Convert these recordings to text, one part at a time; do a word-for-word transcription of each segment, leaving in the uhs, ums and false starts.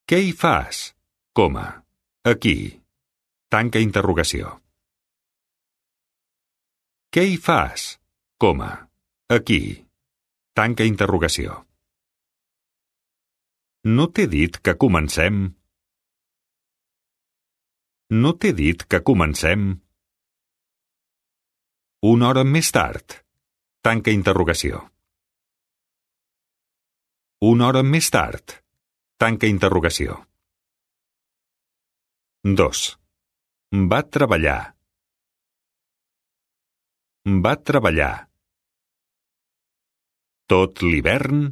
Què hi fas? Coma. Aquí. Tanca interrogació. Què hi fas? Coma. Aquí. Tanca interrogació. No t'he dit que comencem? No t'he dit que comencem? Una hora més tard. Tanca interrogació. Una hora més tard. Tanca interrogació. dos. Va treballar. Va treballar. Tot l'hivern?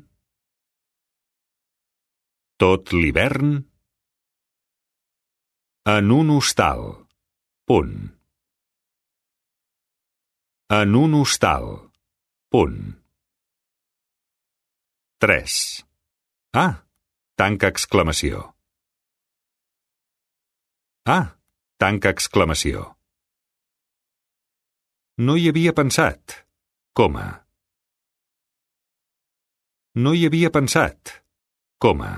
Tot l'hivern? En un hostal. Punt. En un hostal. Punt. tres. Ah! Tanca exclamació. Ah! Tanca exclamació. No hi havia pensat. Coma. No hi havia pensat. Coma.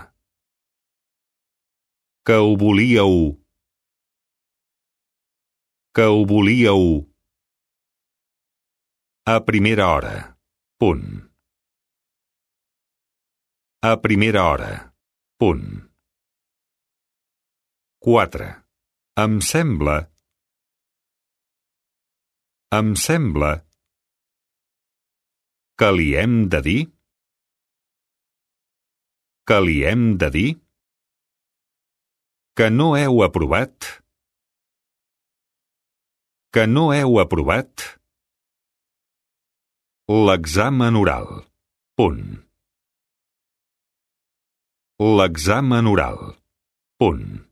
Que ho volíeu. Que ho volíeu. A primera hora. Punt. A primera hora. Punt. quatre. Em sembla. Em sembla. Que li hem de dir? Que li hem de dir? Que no heu aprovat? Que no heu aprovat? L'examen oral. Punt. L'examen oral. Punt.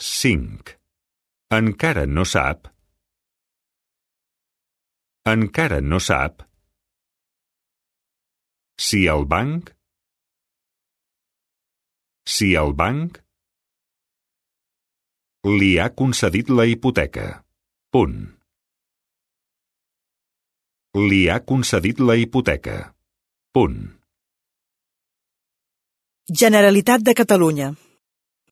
cinc. Encara no sap. Encara no sap. Si el banc. Si el banc. Li ha concedit la hipoteca. Punt. Li ha concedit la hipoteca. Punt. Generalitat de Catalunya.